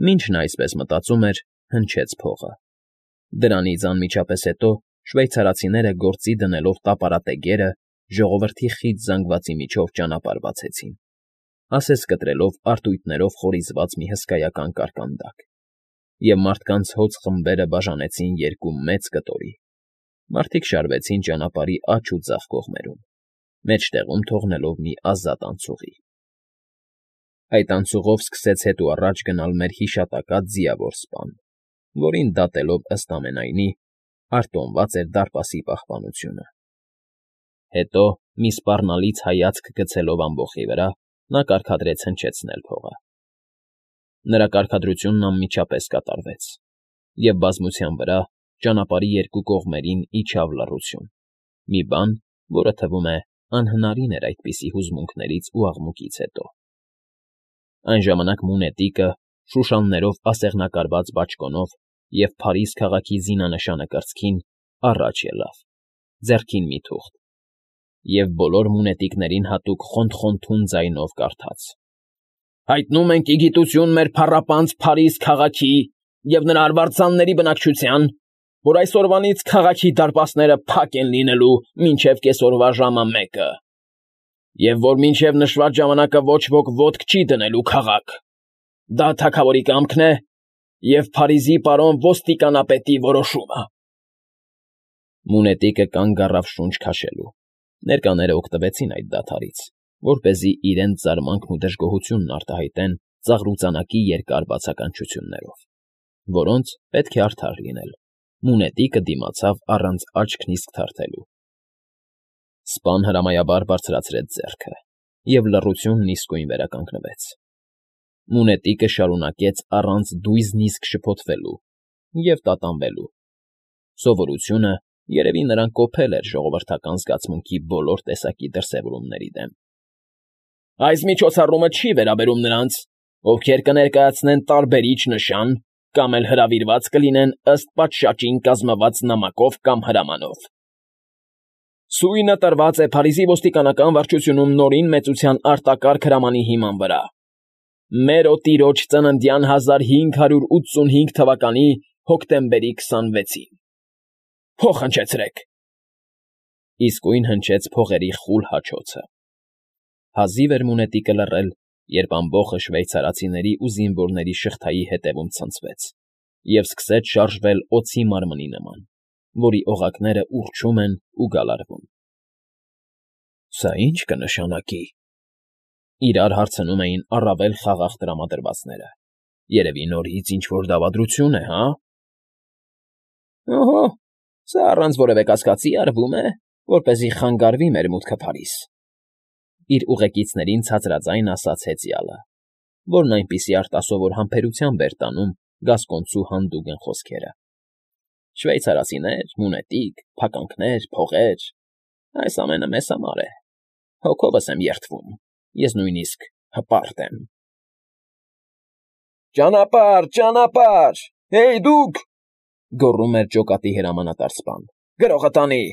Մինչ նա այսպես մտածում էր, հնչեց փողը։ Դրանից անմիջապես հետո շվեյցարացիները գործի դնելով տապարատեգերը ժողովրդի խիտ զանգվածի միջով ճանապարհ բացեցին, ասես կտրելով արտույտներով խորիզված մի հսկայական կարկանդակ, և մարդկանց հոծ խմբերը բաժանեցին երկու մեծ կտորի։ Մարդիկ շարվեցին ճանապարհի աջ ու ձախ կողմերում, մեջտեղում թողնելով մի ազատ անցուղի։ Այդ անցուղով սկսեց հետ ու առաջ գնալ մեր հիշատակած ձիավոր սպան, որին դատելով ըստ ամենայնի արտոնված էր դարպասի պահպանությունը։ Հետո, մի սպառնալից հայացք գցելով ամբոխի վրա, նա կարգադրեց հնչեցնել փողը։ Նրա կարգադրությունն անմիջապես կատարվեց, և բազմության վրա ճանապարհի երկու կողմերին իջավ լռություն, մի բան, որը թվում է անհնարին էր այդպիսի հուզմունքներից ու աղմուկից հետո։ Այն ժամանակ մունետիկը, շուշաններով ասեղնակարված բաճկոնով և Փարիզ քաղաքի զինանշանը կրծքին, առաջ ելավ, ձեռքին մի թուղթ, և բոլոր մունետիկներին հատուկ խոնթ֊խոնթուն ձայնով կարդաց. «Հայտնում ենք ի գիտություն մեր փառապանծ Փարիզ քաղաքի և նրա արվարձանների բնակչության, որ այսօրվանից քաղաքի դարպասները փակ են լինելու մինչև կեսօրվա ժամը 1-ը, և որ մինչև նշված ժամանակը ոչ ոք ոտք չի դնելու քաղաք։ Դա թագավորի կամքն է և Փարիզի պարոն ոստիկանապետի որոշումը»։ Մունետիկը կանգ առավ շունչ քաշելու։ Ներկաները օգտվեցին այդ դադարից, որպեսզի իրենց զարմանքն ու դժգոհությունն արտահայտեն ծաղրուծանակի երկար բացականչություններով, որոնց, պետք է արդար լինել, մունետիկը դիմացավ առանց աչքն իսկ թարթելու։ Սպան հրամայաբար բարձրացրեց ձեռքը, և լռությունն իսկույն վերականգնվեց։ Մունետիկը շարունակեց առանց դույզնիսկ շփոթվելու և տատանվելու։ Սովորությունը, երևի նրան կոփել էր ժողովրդական զգացմունքի բոլոր տեսակի դրսևորումների դեմ։ «Այս միջոցառումը չի վերաբերում նրանց, ովքեր կներկայացնեն տարբերիչ նշան կամ էլ հրավիրված կլինեն ըստ պատշաճին կազմված նամակով կամ հրամանով։ Սույնը տրված է Փարիզի ոստիկանական վարչությունում նորին մեծության արտակարգ հրամանի հիման վրա։ Մեր օտիրոջ ծննդյան 1585 թվականի հոկտեմբերի 26-ին։ Փող հնչեցրեք»։ Իսկույն հնչեց փողերի խուլ հաչոցը։ Հազիվ էր մունետիկը լռել, երբ ամբոխը շվեյցարացիների ու զինվորների շղթայի հետևում ցնցվեց և սկսեց շարժվել օձի մարմնի նման, որի օղակները ուռչում են ու գալարվում։ «Սա ի՞նչ կնշանակի», իրար հարցնում էին առավել խաղաղ տրամադրվածները։ «Երևի նորից ինչ֊որ դավադրություն է, հա»։ «Օհո, սա առանց որևէ կասկածի արվում է, որպեսզի խանգարվի մեր մուտքը Փարիզ», իր ուղեկիցներին ցածրաձայն ասաց հեծյալը, որն այնպիսի արտասովոր համբերությամբ էր տանում գասկոնցու հանդուգն խոսքերը։ «Շվեյցարացիներ, մունետիկ, փականքներ, փողեր… Այս ամենը մեզ համար է։ Հոգովս եմ երդվում, ես նույնիսկ հպարտ եմ»։ «Ճանապարհ, ճանապարհ, հեյ դուք…» գոռում էր ջոկատի հրամանատար սպան։ «Գրողը տանի…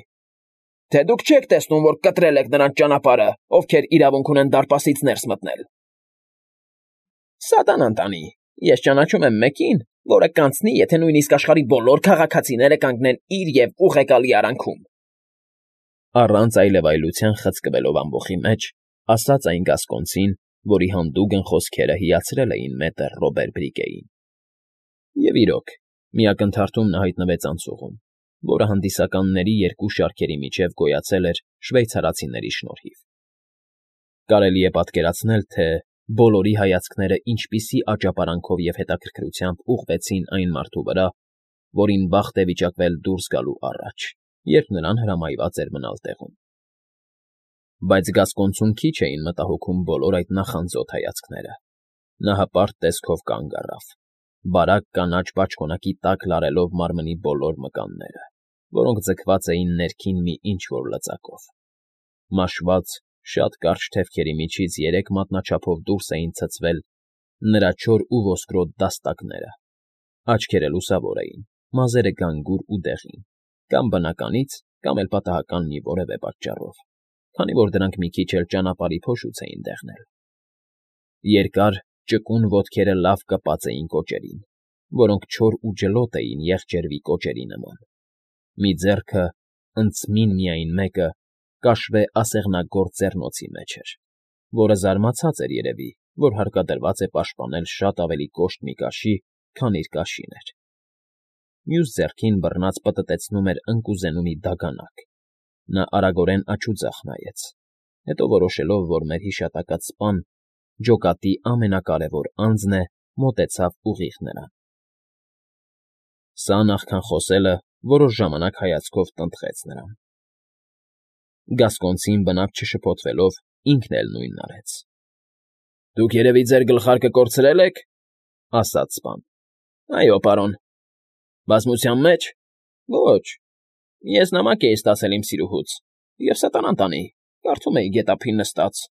Թե դուք չեք տեսնում, որ կտրել եք նրանց ճանապարհը, ովքեր իրավունք ունեն դարպասից ներս մտնել»։ «Սատանան տանի… Ես ճանաչում եմ մեկին, որը կանցնի, եթե նույնիսկ աշխարհի բոլոր քաղաքացիները կանգնեն իր և ուղեկալի արանքում»։ Առանց այլևայլության խցկվելով ամբոխի մեջ, ասաց այն գասկոնցին, որի հանդուգն խոսքերը հիացրել էին մետր Ռոբեր Բրիկեին։ Եվ իրոք, մի ակնթարթում նա հայտնվեց անցուղում, որը հանդիսականների երկու շարքերի միջև գոյացել էր շվեյցարացիների շնորհիվ։ Կարելի է պատկերացնել, թե բոլորի հայացքները ինչպիսի աճապարանքով և հետաքրքրությամբ ուղղվեցին այն մարդու վրա, որին բախտ է վիճակվել դուրս գալու առաջ, երբ նրան հրամայված էր մնալ տեղում։ Բայց գասկոնցուն քիչ էին մտահոգում բոլոր այդ նախանձոտ հայացքները։ Նա հպարտ տեսքով կանգ առավ, բարակ կանաչ բաճկոնակի տակ լարելով մարմնի բոլոր մկանները, որոնք ձգված էին ներքին մի ինչ֊որ լծակով։ Մաշված, շատ կարճ թևքերի միջից 3 մատնաչափով դուրս էին ցցվել նրա չոր ու ոսկրոտ դաստակները։ Աչքերը լուսավոր էին, մազերը գանգուր ու դեղին, կամ բնականից, կամ էլ պատահական մի որևէ պատճառով, քանի որ դրանք մի քիչ էլ ճանապարհի փոշուց էին դեղնել։ Երկար, ճկուն ոտքերը լավ կպած էին կոճերին, որոնք չոր ու ջլոտ էին եղջերվի կոճերի նման, մի ձեռքը, ընդցմին միայն մեկը, կաշվե ասեղնագործ ձեռնոցի մեջ էր, որը զարմացած էր երևի, որ հարկադրված է պաշտպանել շատ ավելի կոշտ մի կաշի, քան իր կաշին էր. մյուս ձեռքին բռնած պտտեցնում էր ընկուզենու մի դագանակ. նա արագորեն աչուձախ նայեց, հետո որոշելով, որ մեր հիշատակած սպան ջոկատի ամենակարևոր անձն է, մոտեցավ ուղիղ նրան։ Սա նախքան խոսելը որոշ ժամանակ հայացքով տնտղեց նրան։ Գասկոնցին բնավ չշփոթվելով ինքն էլ նույնն արեց։ ֊ Դուք երևի ձեր գլխարկը կորցրել եք,֊ ասաց սպան։ ֊ Այո, պարոն։ ֊ Բազմության մեջ։ ֊ Ոչ, ես նամակ էի ստացել իմ սիրուհուց, և սատանան տանի, կարդում էի գետափին նստած,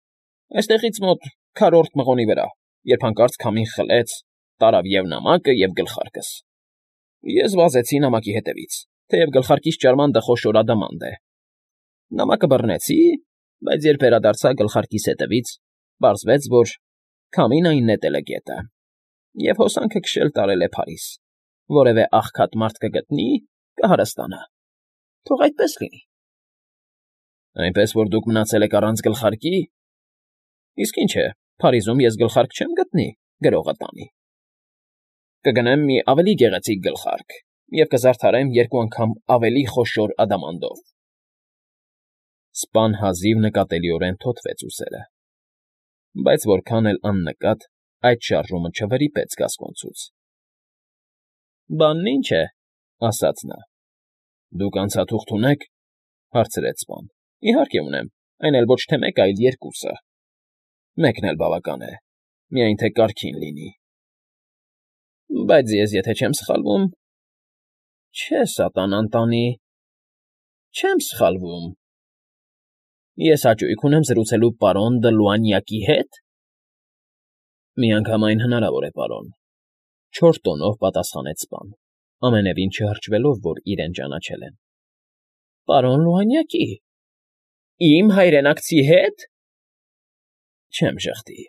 այստեղից մոտ քառորդ մղոնի վրա, երբ հանկարծ քամին խլեց, տարավ և նամակը, և գլխարկս։ Ես վազեցի նամակի հետևից, թեև գլխարկիս ճարմանքը խոշոր ադամանդ է։ Նամակը բռնեցի, բայց երբ վերադարձա գլխարկիս հետևից, պարզվեց, որ քամին այն նետել է գետը, և հոսանքը քշել տարել է Փարիզ, որևէ աղքատ մարդ կգտնի, կհարստանա։ Թող այդպես լինի։ ֊ Այնպես որ դուք մնացել եք առանց գլխարկի։ ֊ Իսկ ինչ է, Փարիզում ես գլխարկ չեմ գտնի, գրողը տանի։ Կգնեմ մի ավելի գեղեցիկ գլխարկ և կզարդարեմ երկու անգամ ավելի խոշոր ադամանդով։ Սպան հազիվ նկատելիորեն թոթվեց ուսերը, բայց որքան էլ աննկատ այդ շարժումը չվրիպեց գասկոնցուց։ ֊ Բանն ինչ է,֊ ասաց նա։ ֊ Դուք անցաթուղթ ունե՞ք,֊ հարցրեց սպան։ ֊ Իհարկե ունեմ, այն էլ ոչ թե մեկը, այլ երկուսը։ ֊ Մեկն էլ բավական է, միայն թե կարգին լինի։ ֊ Բայց ես, եթե չեմ սխալվում… Չէ, սատանան տանի… Չեմ սխալվում… Ես հաճույք ունեմ զրուցելու պարոն Դը Լուանյակի հետ։ ֊ Միանգամայն հնարավոր է, պարոն,֊ չոր տոնով պատասխանեց սպան, ամենևին չհրճվելով, որ իրեն ճանաչել են։ ֊ Պարոն Լուանյակի… Իմ հայրենակցի հետ… Չեմ ժխտի…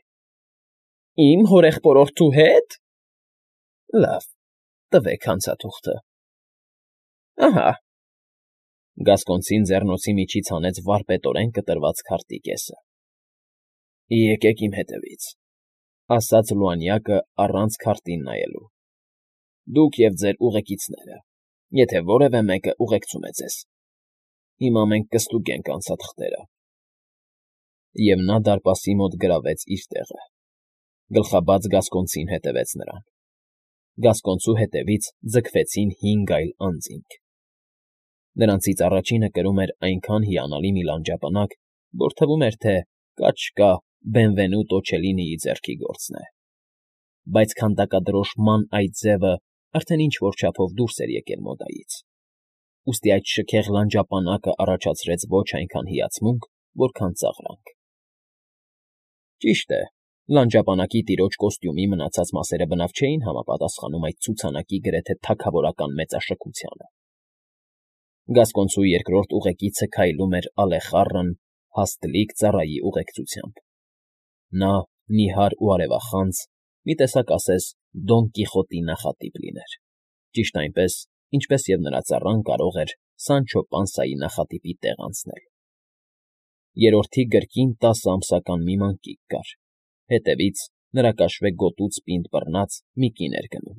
Իմ հորեղբորորդու հետ… Լավ, տվեք հանցաթուղթը… Ահա… Գասկոնցին ձեռնոցի միջից հանեց վարպետորեն կտրված քարտի կեսը։ ֊ Եկեք իմ հետևից,֊ ասաց Լուանյակը առանց քարտին նայելու։ ֊ Դուք և ձեր ուղեկիցները, եթե որևէ մեկը ուղեկցում է ձեզ… Հիմա մենք կստուգենք անցաթղթերը… Եվ նա դարպասի մոտ գրավեց իր տեղը։ Գլխաբաց գասկոնցին հետևեց նրան։ Գասկոնցու հետևից ձգվեցին 5 այլ անձինք։ Նրանցից առաջինը կրում էր այնքան հիանալի մի լանջապանակ, որ թվում էր, թե կաչկա Բենվենուտո Չելինիի ձեռքի գործն է։ Բայց քանդակադրոշ ման այդ ձևը արդեն ինչ֊որ չափով դուրս էր եկել մոդայից, ուստի այդ շքեղ լանջապանակը առաջացրեց ոչ այնքան հիացմունք, որքան ծաղրանք։ Ճիշտ է, լանջապանակի տիրոջ կոստյումի մնացած մասերը բնավ չէին համապատասխանում այդ ցուցանակի գրեթե թագավորական մեծաշքությանը։ Գասկոնցու երկրորդ ուղեկիցը քայլում էր ալեխառն, հաստլիկ ծառայի ուղեկցությամբ։ Նա նիհար ու արևախանձ, մի տեսակ ասես Դոն Կիխոտի նախատիպ լիներ, ճիշտ այնպես, ինչպես և նրա ծառան կարող էր Սանչո Պանսայի նախատիպի տեղ անցնել։ Երրորդի գրկին 10 ամսական մի մանկիկ կար, հետևից նրա կաշվե գոտուց պինդ բռնած մի կին էր գնում,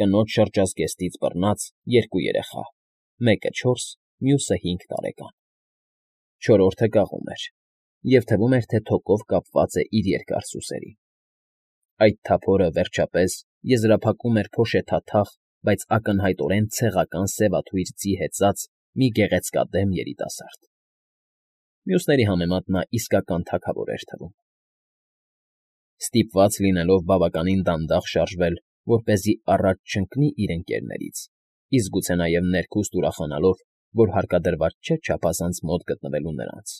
կնոջ շրջազգեստից բռնած 2 երեխա, մեկը 4, մյուսը 5 տարեկան։ Չորրորդը կաղում էր, և թվում էր, թե թոկով կապված է իր երկար սուսերին։ Այդ թափորը, վերջապես, եզրափակում էր փոշեթաթախ, բայց ակնհայտորեն ցեղական սևաթույր ձի հեծած մի գեղեցկադեմ երիտասարդ։ Մյուսների համեմատ նա իսկական թագավոր էր թվում։ Ստիպված լինելով բավականին դանդաղ շարժվել, որպեսզի առաջ չընկնի իր ընկերներից, իսկ գուցե նաև ներքուստ ուրախանալով, որ հարկադրված չէ չափազանց մոտ գտնվելու նրանց,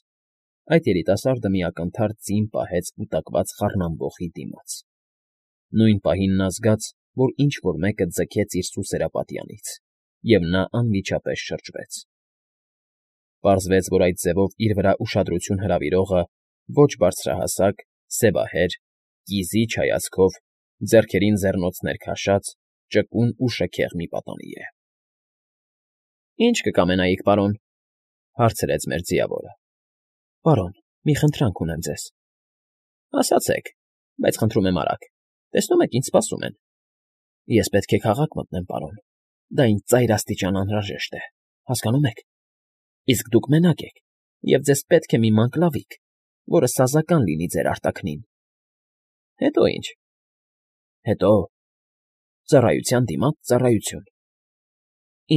այդ երիտասարդը մի ակնթարթ ձին պահեց կուտակված խառնամբոխի դիմաց։ Նույն պահին նա զգաց, որ ինչ֊որ մեկը ձգեց իր սուսերապատյանից, և նա անմիջապես շրջվեց։ Պարզվեց, որ այդ ձևով իր վրա ուշադրություն հրավիրողը ոչ բարձրահասակ, սևահեր, կիզի չայացքով, ձեռքերին ձեռնոցներ քաշած, ճկուն ու շքեղ մի պատանի է։ ֊ Ի՞նչ կկամենայիք, պարոն,֊ հարցրեց մեր ձիավորը։ ֊ Պարոն, մի խնդրանք ունեմ ձեզ։ ֊ Ասացեք, բայց խնդրում եմ արագ, տեսնում եք ինձ սպասում են։ ֊ Ես պետք է քաղաք մտնեմ, պարոն, դա ինձ ծայրաստիճան անհրաժեշտ է, հասկանո՞ւմ եք։ Իսկ դուք մենակ եք, և ձեզ պետք է մի մանկլավիկ, որը սազական լինի ձեր արտաքնին։ ֊ Հետո ի՞նչ։ ֊ Հետո… ծառայության դիմաց ծառայություն։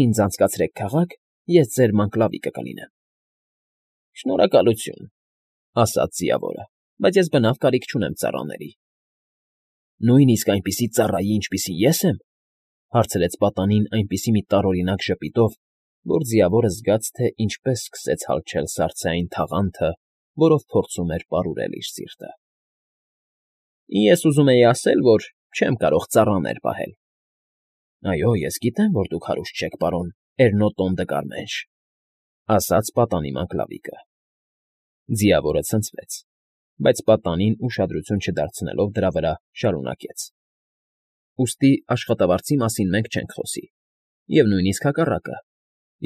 Ինձ անցկացրեք քաղաք, ես ձեր մանկլավիկը կլինեմ։ ֊ Շնորհակալություն,֊ ասաց ձիավորը, բայց ես բնավ կարիք չունեմ ծառաների։ ֊ Նույնիսկ այնպիսի ծառայի, ինչպիսին ես եմ,֊ հարցրեց պատանին այնպիսի մի տարօրինակ ժպիտով, որ ձիավորը զգաց, թե ինչպես սկսեց հալչել սառցեային թաղանթը, որով փորձում էր պարուրել իր սիրտը։ ֊ Ես ուզում էի ասել, որ չեմ կարող ծառաներ պահել։ ֊ Այո, ես գիտեմ, որ դուք հարուստ չեք, պարոն Էրնոտոն դը Կարմենշ,֊ ասաց պատանի մանկլավիկը։ Ձիավորը ցնցվեց, բայց պատանին ուշադրություն չդարձնելով դրա վրա շարունակեց. ֊ Ուստի աշխատավարձի մասին մենք չենք խոսի, և նույնիսկ հակառակը,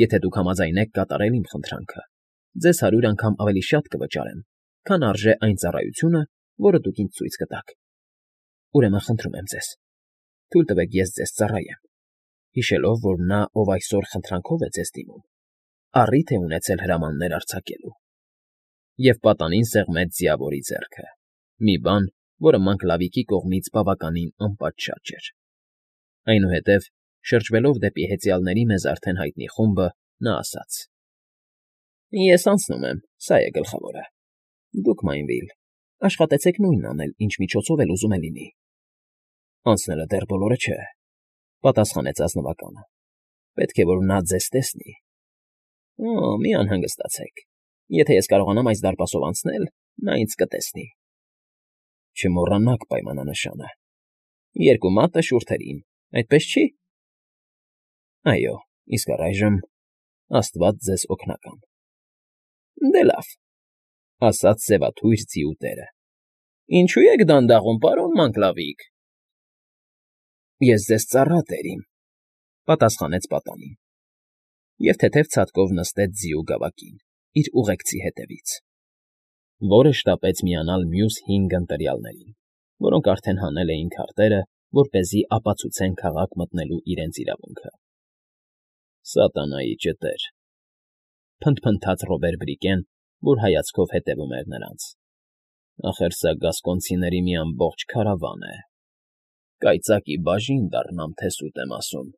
եթե դուք համաձայնեք կատարել իմ խնդրանքը, ձեզ 100 անգամ ավելի շատ կվճարեմ, քան արժե այն ծառայությունը, որը դուք ինձ ցույց կտաք։ Ուրեմն խնդրում եմ ձեզ, թույլ տվեք ես ձեզ ծառայեմ, հիշելով, որ նա, ով այսօր խնդրանքով է ձեզ դիմում, առիթ է ունեցել հրամաններ արձակելու։ Եվ պատանին սեղմեց ձիավորի ձեռքը, մի բան, որը մանկլավիկի կողմից բավականին անպատշաճ էր։ Այնուհետև, շրջվելով դեպի հեծյալների մեզ արդեն հայտնի խումբը, նա ասաց. ֊ Ես անցնում եմ, սա է գլխավորը։ Դուք, Մայնվիլ, աշխատեցեք նույնն անել, ինչ միջոցով էլ ուզում է լինի։ ֊ Անցնելը դեռ բոլորը չէ,֊ պատասխանեց ազնվականը։ ֊ Պետք է, որ նա ձեզ տեսնի։ ֊ Մի անհանգստացեք, եթե ես կարողանամ այս դարպասով անցնել, նա ինձ կտեսնի։ ֊ Չմոռանաք պայմանանշանը. 2 մատը շուրթերին, այդպես չի։ ֊ Այո, իսկ առայժմ աստված ձեզ օգնական։ ֊ Դե լավ,֊ ասաց սևաթույր ձիու տերը։ ֊ Ինչո՞ւ եք դանդաղում, պարոն Մանկլավիկ։ ֊ Ես ձեզ ծառա, տերիմ,֊ պատասխանեց պատանին, և թեթև ցատկով նստեց ձիու գավակին, իր ուղեկցի հետևից, որը շտապեց միանալ մյուս 5 ընտրյալներին, որոնք արդեն հանել էին քարտերը, որպեսզի ապացուցեն քաղաք մտնելու իրենց իրավունքը։ ֊ Սատանայի ճտեր,֊ փնթփնթաց Ռոբեր֊Բրիկեն, որ հայացքով հետևում էր նրանց։֊ Ախր սա գասկոնցիների մի ամբողջ քարավան է։ Կայծակի բաժին դառնամ, թե սուտ եմ ասում։